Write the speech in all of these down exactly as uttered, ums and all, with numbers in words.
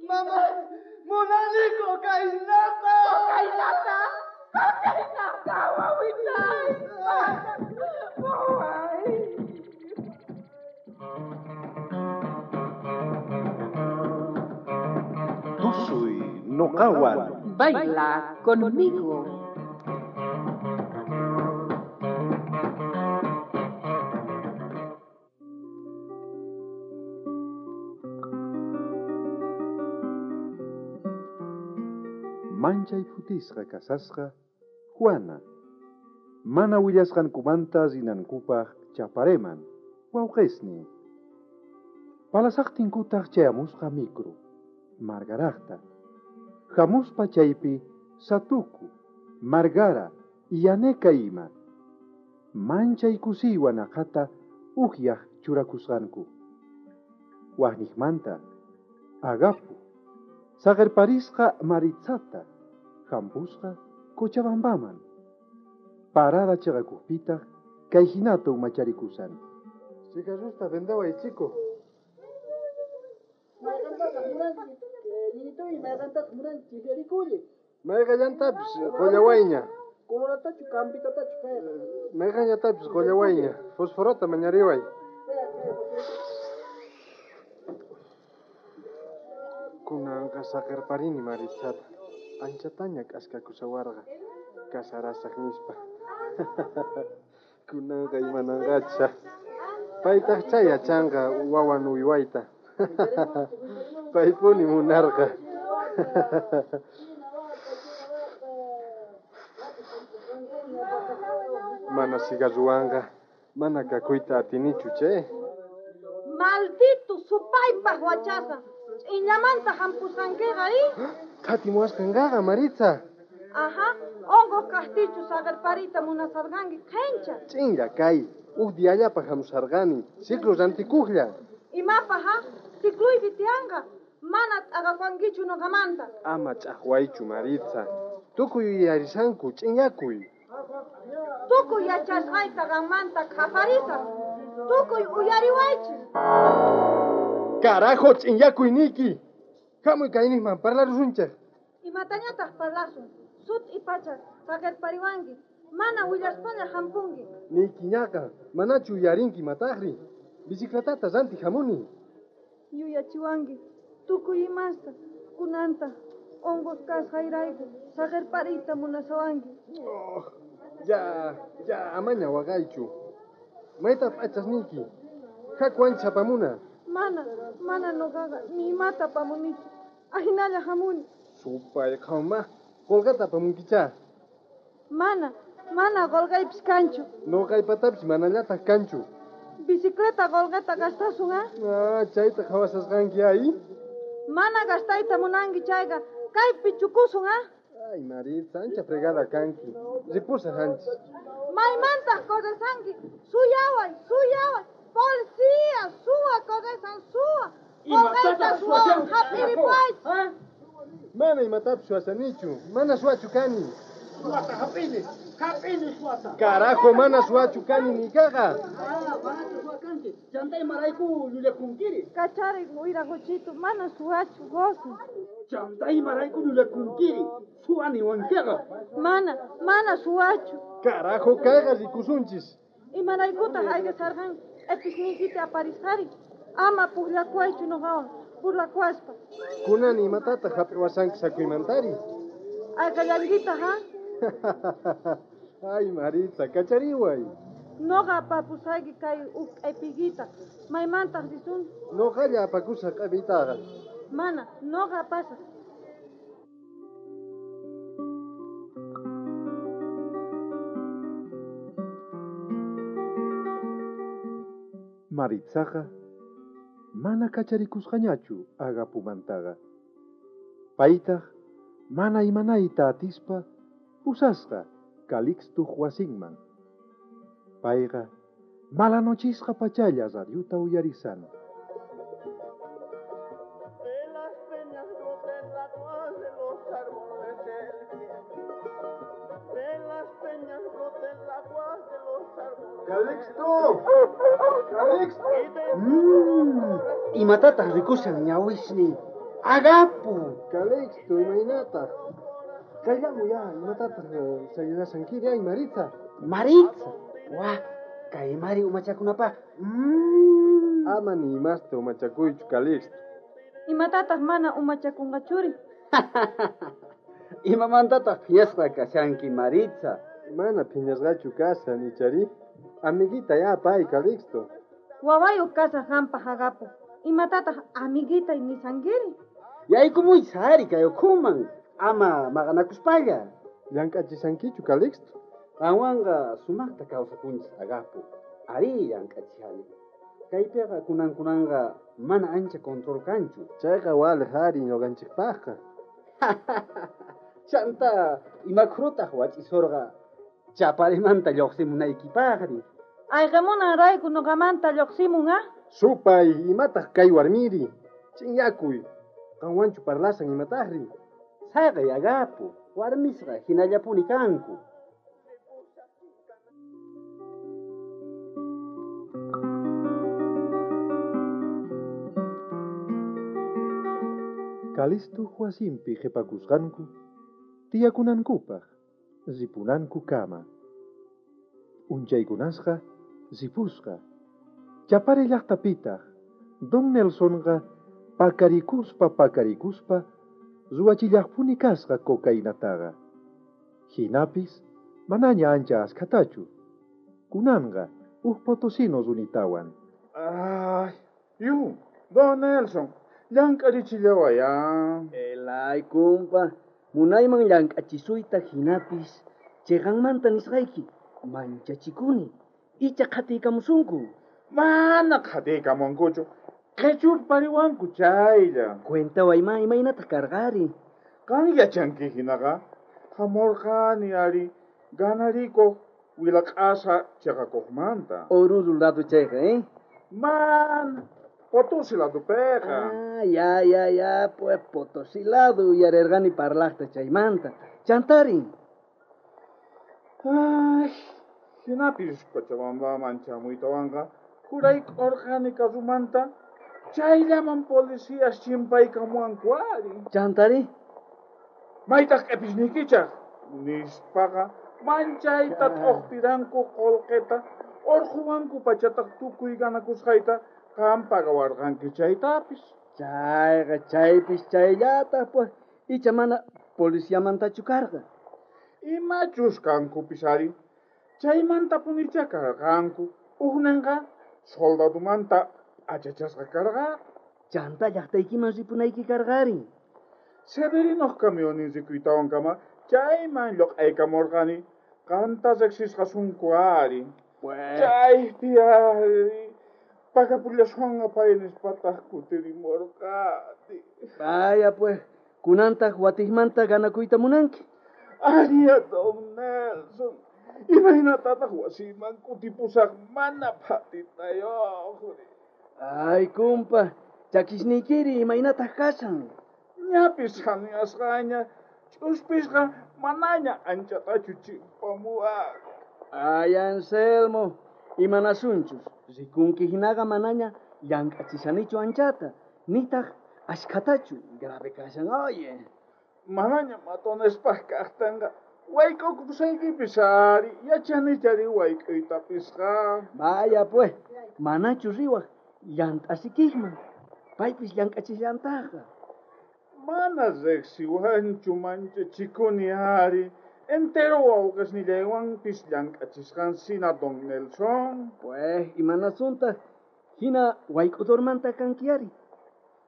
Mamá, munani cocainata. Cocainata. Cocainata, wawitay. Waway. Tusuy noqawan. Baila conmigo. Manchay phutisqa kasasqa Juana. Mana willasqankumanta rinankupaq chapareman, wawqisnin. Palasaqtinkutaq chayamusqa micro, Margaraqta. Hamuspa chaypi Satuku, Margara, Yaneka ima. Manchay kusiywan aqhata ukyaq churakusqanku. Waqniqmanta, Agapu, saqirparisqa Maritzata, hampusqa Cochabambaman. Parada chaqakuqpitaq kay hinata umacharikusan. Cigarrosta vendaway, chico. Mayqallantapis qullawayña. Mayqallatapis qullawayña. Fosforota mañariway. Kunanqa saqirparini Maritzata. Anchataña k'askakusawarqa. Kasarasaq nispa. Kunanqa imananqacha. Paytaq chay yachanqa wawan uywayta. Paypuni munarqa. Mana cigarruwanqa mana kakuyta atinichu che. Maldito supaypaq wachasa. Ch'iñamanta hampusqankiqa i? Qhatimuwasqanqaqa Maritza. Ajá, unquq kaqtichu saqirpariyta munasarqanki qhincha. Ch'inlla kay, huk diallapaq hamusarqani, ciclo rantikuqlla. Imapaq ha? Cicluypi tiyanqa, mana t'aqakuankichu nuqamanta. Ama ch'aqwaychu Maritza, tukuy yuyarisanku ch'inyakuy. Tukuy yachasqayta qammanta qhaparisaq, tukuy uyariwaychis. Carajo, ch'inyakuy niyki. Hamuy kayniqman parlarusunchik. Imatañataq parlasun, sut'i pacha saqirpariwanki, mana willaspaña hampunki. Niykiñaqa, manachu uyarinki mataqri. Bicicletata rantiq hamuni. Yuyachiwanki, tukuy imasta, kunanta, unquq kasqayrayku saqirpariyta munasawanki. Oh, ya, ya, amaña waqaychu. Mayta p'achasniyki. Haku ancha apamuna. Mana, mana nuqaqa ni imata apamunichu. Ahinalla hamuni. Supay qhawma, qulqata apamunkichá. Mana, mana qulqaypis kanchu. Nuqaypatapis manallataq kanchu. Bicicleta qulqata gastasun, ah? Ah, chayta qhawasasqanki ay. Mana gastayta munanki chayqa, kaypi chukusun, ah? Ay, Maritza, ancha fregada kanki. Ripusaq anchis. Maymantaq corresanki. Suyaway, suyaway. Policía, suwa corresan, suwa. Qulqayta suwawan hap'iripuychis. Mana imatapis suwasanichu, mana suwachu kani. Suwata hap'ini, hap'ini suwata. Carajo, mana suwachu kani niykaqa. Ah, manachu suwa kanki. Chanta imarayku llullakunkiri. Kacharik wiraquchitu, mana suwachu gozo. Chanta imarayku llullakunkiri. Suwa niwankiqa. Mana, mana suwachu. Carajo, kayqa rikusunchis. Imaraykutaq ayqisarqanki q'episniykita aparisqari. Ama pukllakuwaychu nuqawan, burlakuwaspa. Kunan imatataq hap'iwasanki sakuymantari? Ayqallankitaq, ha? Ay, Maritza, kachariway. Nuqa apapusayki kay huk q'epiykita. Maymantaq risun? Nuqalla apakusaq q'epiytaqa. Mana, nuqa apasaq. Maritzaqa mana kacharikusqañachu Agapumantaqa. Paytaq mana imanayta atispa pusasqa Calixtuq wasinman. Payqa malanochisqa pachalla radiota uyarisan. De las peñas brota el agua de los árboles el viento. De las peñas brota el agua de los árboles. ¡Calixto! ¡Calixto! Y de Mmm, imatataq rikushan ñawisni. Agapu! Calixto, imaynataq. Kayllamuy ya, imatataq sayunashankiri ay Maritza. Maritza! Wah, kay mari umachakunapaq. Mm. Ama ni imasta umachakuychu, Calixto. Imatataq mana umachakunqachuri? Imamantataq phiñasqa kashanki, Maritza? Mana phiñasqachu kashan, ichari. Amiguita ya pay, Calixto. Wawayuq kasaq qampaq Agapu. Imatataq amiguitay nisankiri? Yaykumuy sari kay ukhuman, ama maqanakuspalla. Llank'achishankichu, Calixto? Qanwanqa sumaqta kawsakunchis, Agapu. Ari llank'achishani. Kaypiqa kunan kunanqa mana ancha control kanchu. Chayqa waliq ari ñuqanchikpaqqa. Chanta imakhurutaq wachisurqa chaparimanta lluqsimunaykipaqri. Ayqamunanrayku ñuqamanta lluqsimun, ah? Supay, imataq kay warmiri? Chinyakuy. Qanwanchu parlasan imataqri? Saqay, Agapu, warmisqa hinallapuni kanku. Calixto wasinpi qhipakusqanku tiyakunankupaq ripunanku kama. Unchaykunasqa ripusqa. Chapare llaqtapitaq Don Nelsonqa pakarikuspa pakarikuspa ruwachillaqpuni kasqa cocainataqa. Hinapis manaña ancha askhatachu. Kunanqa huk potosino runitawan. Ay, yu, Don Nelson, llank'arichillawaya. Elay, kumpa, munayman llank'achisuyta hinapis chiqanmanta nisqayki manchachikuni. Icha qhatiykamusunku. Mana qhatiykamunkuchu. Qhichurpariwanku chaylla. Cuentaway ma imaynataq karqari. Qan yachanki hinaqa hamurqani ari ganarikuq wilaq'asa chiqakuqmanta. Oruro lado chayqa, eh? Mana Potosí ladopiqa. Ah, ya, ya, ya, pues Potosí lado uyarirqani parlaqta chaymanta. Chantari. Ay, hinapis Cochabambaman chamuytawanqa jurayk'urqani karumanta chayllaman policías chimpaykamuwanku ari. Chantari. Maytaq q'ipisniykichaq nispaqa manchayta t'uqpiranku qullqita urquwanku pachataq tukuy ganakusqayta qam pagawarqanki chaytapis. Chayqa chaypis chayllataq pues icha mana policiamantachu karqa. Imachus kankupis ari chaymantapunicha karqanku ukninqa soldadumanta achachasqa karqa. Chanta llaqtaykiman ripunayki karqari. Severinoq camionin rikuytawankama chayman lluq'aykamurqani qanta riqsisqasunku ari. Chaypi ari pagapullasuwanqa pay nispataq kutirimurqani. Vaya pues, kunantaq watiqmanta ganakuyta munanki. Aria Don Nelson, imaynatataq wasiyman kutipusaq mana phatitayuqri. Ay, kumpa, chakisniykiri imaynataq kashan. Ñapis hanuyasqaña, ch'uspisqa manaña anchatachu chimpamuwan. Ay, Anselmo, imanasunchus, rikunki hinaqa manaña llank'achishanichu anchata, nitaq ashkhatachu, grave kashan, oye. Manaña matonespaq kaqtanqa wayk'ukusaykipis ari, yachanichari wayk'uytapisqa. Vaya pues, manachu riwaq llant'asikijman, paypis llank'achillantaqa. Mana riqsiwanchu manchachikuni ari, entero wawqisnillaywanpis llank'achisqansina Don Nelson. Pues, imanasuntaq hina wayk'udurmanta kanki ari.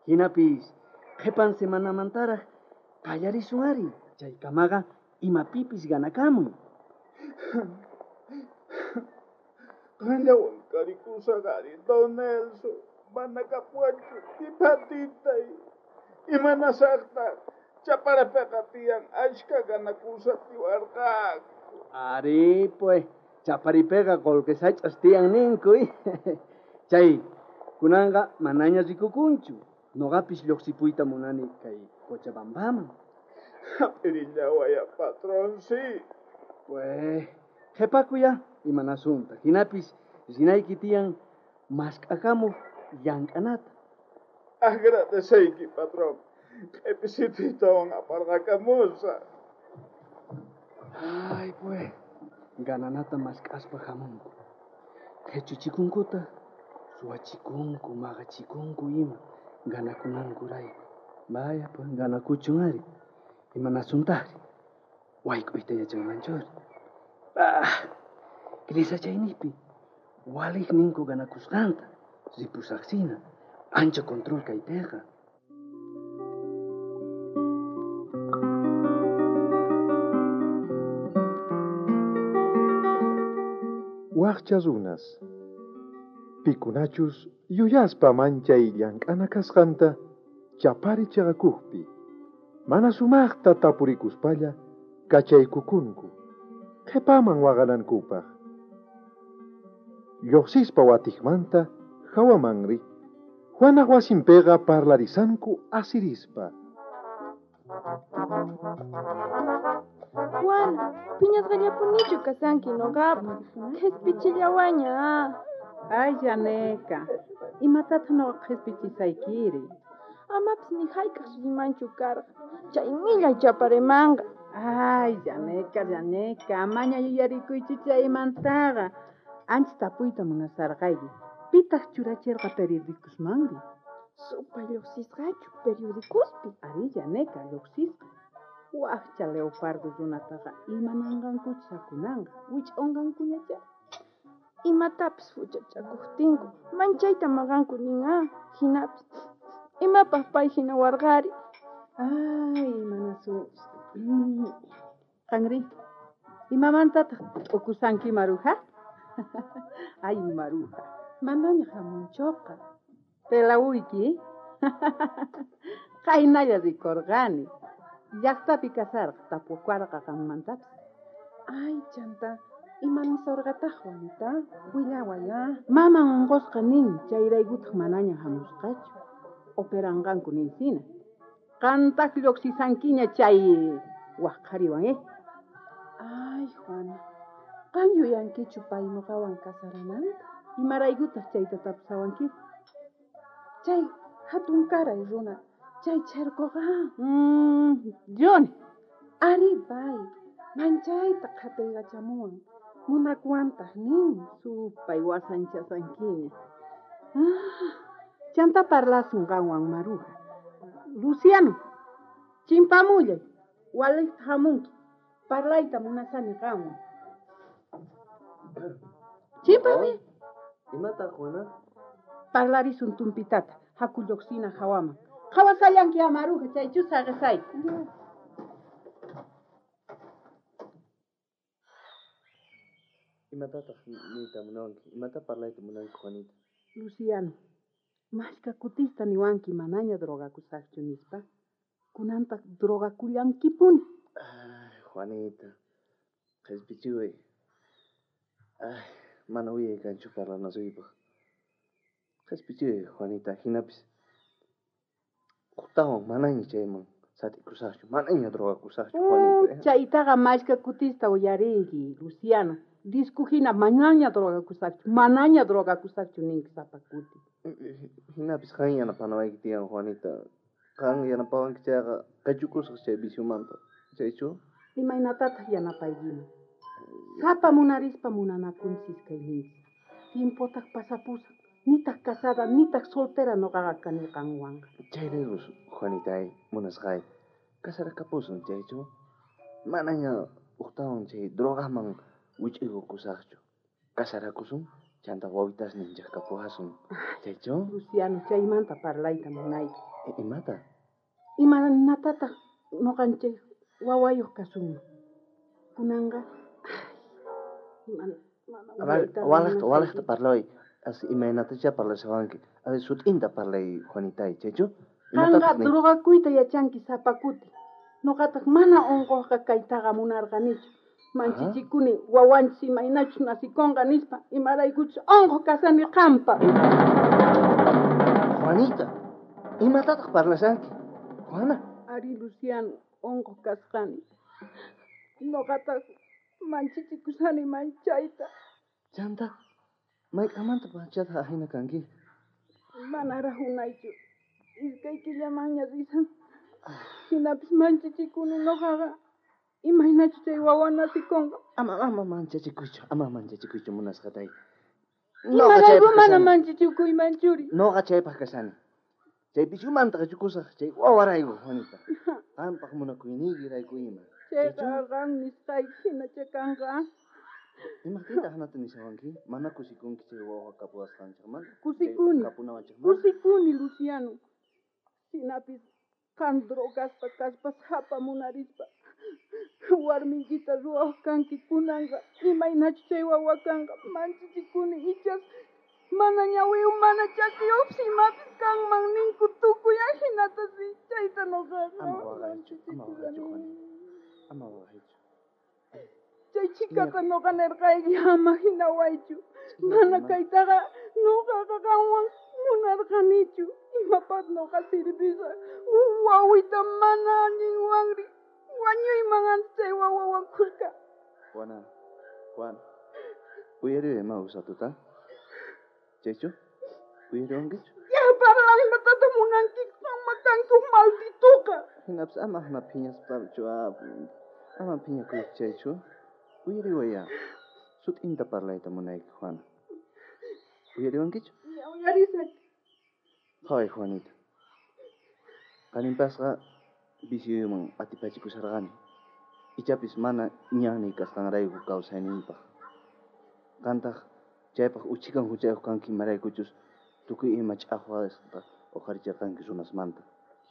Hinapis qhipan semanamantaraq qallarisun ari, chaykamaqa imapipis ganakamuy. Qanllawan karikusaq ari, Don Nelson, mana kapuwanchu tipatitay. Imanasaqtaq chaparapiqa tiyan ashka ganakusa tiwarqaku. Ari, pues, chaparipiqa qullqi sach'as tiyan ninku. Chay, kunanqa manaña rikukunchu. Noqapis lluqsipuyta munani kay Cochabambaman. Hap'irillawaya, patrón, sí. Pues, qhipakuya imanasunta. Hinapis rinayki tiyan mask'akamuq llank'anata. Agradeceyki, patrón. Q'episituytawan aparqakamusaq. Ay, pues, gananata mask'aspa hamunku. Qhichuchikunkuta, suwachikunku, maqachikunku ima, ganakunankurayku. Vaya, pues, ganakuchun ari. Imanasuntaqri? Wayk'uyta yachanmanchuri. Ah, Grisachaynipi, waliq ninku ganakusqanta, ripusaqsina, ancha control kaypiqa. Waqcha runas, pikunachus yuyaspa manchay llank'ana kasqanta chapari chaqakuqpi, mana sumaqta tapurikuspalla kachaykukunku, qhipaman waqanankupaq. Lluqsispa watiqmanta hawamanri, Juanaq wasinpiqa parlarisanku asirispa. Juana, phiñasqallapunichu kasanki noqapaq, qhispichillawaña. Ay, Janeca, imatataq noqa qhispichisaykiri? Amapis ni hayk'aq rimanchu karqa, chay millay chaparimanqa. Ay, Janeca, Janeca, amaña yuyarikuychu chaymantaqa. Ancha tapuyta munasarqayki. Pitaq churachirqa periodicosmanri? Supay lluqsisqachu periodicospi? Ari, Janeca, lluqsisqa. Waqcha leopardo runataqa imananqankuchu sakunanqa, wich'unqankuñachá. Imatapis huchachakuqtinku, manchayta maqanku nin ah, hinapis imapaq pay hina warqari. Ay, imanasunchis. Qanri, imamantataq t'ukusanki Maruja? Ay, Maruja. Manaña hamunchuqa. Pelawuyki. Qaynalla rikurqani. Llaqtapi kasarqa tapukuarqa qanmantapis. Ay, chanta, imanisorqataq Juanita? Willaway, ah. Maman unqusqa nin, chayraykutaq manaña hamusqachu. Operanqanku ninsina. Qantaq lluqsisankiña chay waq qhariwan, eh? Ay, Juana, qan yuyankichu pay nuqawan kasarananta? Imaraykutaq chayta tapusawanki? Chay hatunkaray runa, chay charkuqa. Mm, Johnny. Ari, pay, manchayta qhataykachamuwan, munakuwantaq nin. Supay wasanchasankiña. Ah, chanta parlasun qanwan Maruja. Luciano, chimpamullay, waliqta hamunki. Parlayta munasani qanwan. Chimpami. Imata, Juana? Parlarisun tumpitata, haku lluqsina hawaman. Qhawasallanki a Maruja, chaychu saqisayki. Imatataq niyta munanki? Imata parlayta munanki, Juanita? Luciano, mashka kutista niwanki manaña drogakusaqchu nispa. Kunantaq drogakullankipuni. Ay, Juanita, qhispichiway. Ay, mana uyay kanchu parlanasuypaq. Qhispichiway, Juanita, hinapis uqtawan manaña chayman sat'ikusaqchu, manaña drogakusaqchu, Juanita. Chaytaqa mashka kutista uyariyki, Luciano. Disco hina manaña drogakusaqchu, manaña drogakusaqchu ninki sapa kuti. Hinapis qan yanapanawayki tiyan, Juanita. Qan yanapawanki chayqa qachukusaq chay viciomanta. Chaychu? Imaynatataq yanapaykiman? Sapa munarispa munanakunchis kayninchis. Tiempotaq pasapusan. Nitaq casada, nitaq soltera noqaqa kani qanwanqa. Chayrayku, Juanitay, munasqay. Kasarakapusun, chaychu? Manaña uqtawan chay drogaman wich'iykukusaqchu. Kasarakusun, chanta wawitasninchik kapuwasun. Chaychu? Luciano, chaymanta parlayta munayki. Imata? Imaynatataq noqanchik wawayuq kasunman? Kunanqa, ay, mana, mana A ver, walaqta, walaqta parlay. As imaynatacha parlashawanki. A ver, sut'inta parlay, Juanitay, chaychu? Qanqa drogakuyta yachanki sapa kuti. Noqataq mana unquqqa kaytaqa munarqanichu. Manchichikuni wawanchis imaynachus nasikunqa nispa, imaraykuchus unquq kasani qampa. Juanita, imatataq parlashanki? Juana. Ari, Luciano, unquq kasqani. Noqataq manchichikusani manchayta. Chanta, mayk'amanta pachataq ahina kanki? Manaraq unaychu. Iskay killamanña risan. Jinapis manchichikuni noqaqa. Imaynachu chay wawa nasikunqa. Ama ama manchachikuychu, ama manchachikuychu munasqatay. Imarayku mana manchichikuyman churi. Noqa chaypaq kashani. Chay pichumanta qichukusaq chay wawarayku, Juanita. Qampaq munakuyniykirayku ima. Chayqa qan nisqayki hinacha kanqa. Imaqtintaq hanata nishawanki? Mana kusikunki chay wawa kapuwasqanchikmanta? Kusikuni. Kapunawanchikmanta? Kusikuni, Luciano. Hinapis qan drogaspa kaspa sapa munarispa warmiykita ruwaq kanki kunanqa imaynachu chay wawa kanqa manchichikuni ichas mana ñawiyuq mana chakiyuqpis imapis kanman ninku tukuy ajinata si chayta noqaqa Ama waqaychu, ama waqaychu, Juanita. Ama waqaychu. Chay chikata noqa nirqayki ama hinawaychu. Mana kaytaqa noqaqa qanwan munarqanichu. Imapaq noqa sirvisaq wawita mana allinwanri wañuyman antes chay wawawan khuska. Juana, Juan, uyariway ima usatuta? Chaychu? Uyariwankichu? Ya parlay imatataq munanki qanma kanki uj maldituqa. Hinapis ama hina phiñaspachu, ama phiñakuychu chaychu. Uyariwaya. Sut'inta parlayta munayki, Juana. Uyariwankichu? Ya uyarisaq. Qhaway, Juanita. Qaninpasqa vicioyman atipachikusharqani. Ichapis mana ñanniy kasqanrayku kawsayniypaq. Qantaq chaypaq uchikan huchayuq kanki imaraykuchus tukuy ima ch'aqwasqa uqharichirqanki runasmanta.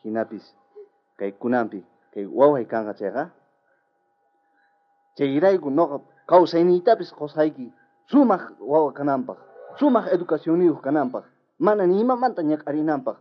Hinapis kay kunanpi kay waway kanqa chayqa chayrayku noqa kawsayniytapis qusqayki sumaq wawa kananpaq, sumaq educacionniyuq kananpaq, mana ni imamanta ñak'arinanpaq.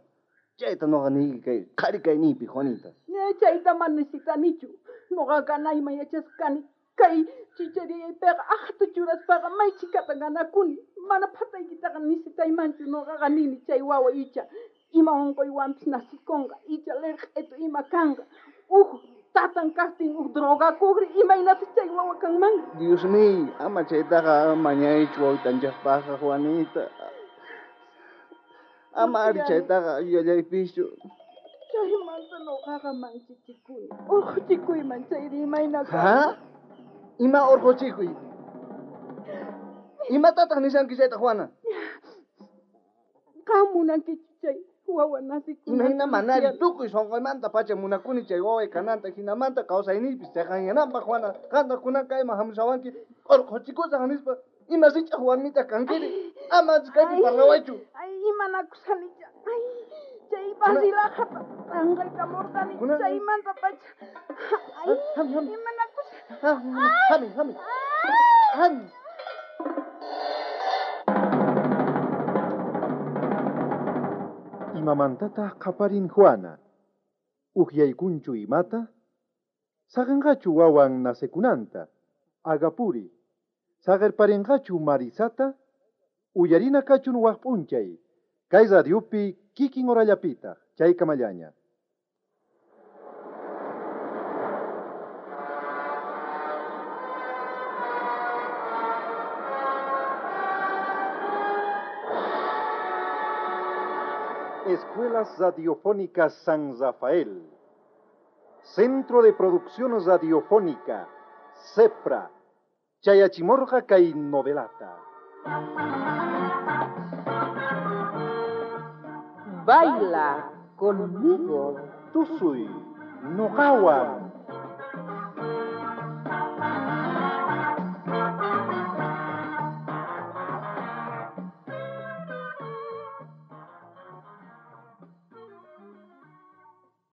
Chayta noqa niyki kay qhari kayniypi, Juanita. Chayta mana necesitanichu. Noqa ganayman yachasqa kani. Kay chichariyaypiqa aqhata churaspaqa may chhikata ganakuni. Mana phataykitaqa necesitaymanchu noqaqa nini chay wawa icha ima unquywanpis nasikunqa, icha lirq'itu ima kanqa. Uj tatan kaqtin uj drogakuqri imaynataq chay wawa kanman. Dios mío, ama chaytaqa mañaychu wawitanchikpaqqa, Juanita. Ama ari chaytaqa yuyallaypischu. Chaymanta noqaqa manchichikuni. Urquchikuyman chayri imayna Ha? Ima urquchikuy? Imatataq nishanki chayta, Juana? Qam munankichu chay wawa nasikunanta? Imayna manari tukuy sunquymanta pacha munakuni chay waway kananta hinamanta kawsayniypis chayqanyananpaq, Juana. Qantaq kunan kayman hamushawanki urquchikusaq nispa ima rich'aq warmitaq kankiri. Ama kaypi parlawaychu. Ay, imanakusanicha. Ay, chay barrilaqata tanqaykamurqani chaymanta pacha. Ay, imanakusani. Hami, hami. Hami. Imamantataq qaparin Juana. Ukyaykunchu imata? Saqinqachu wawan nasekunanta? Agapuri. Saqirparinqachu Marisata? Uyarina kachun waq p'unchay. Kay radiopi kikin horallapitaq, chaykamallaña. Escuelas Radiofónicas San Rafael. Centro de Producción Radiofónica, CEPRA. Chayachimorja kay novelata. Baila conmigo. Tusuy, noqawan.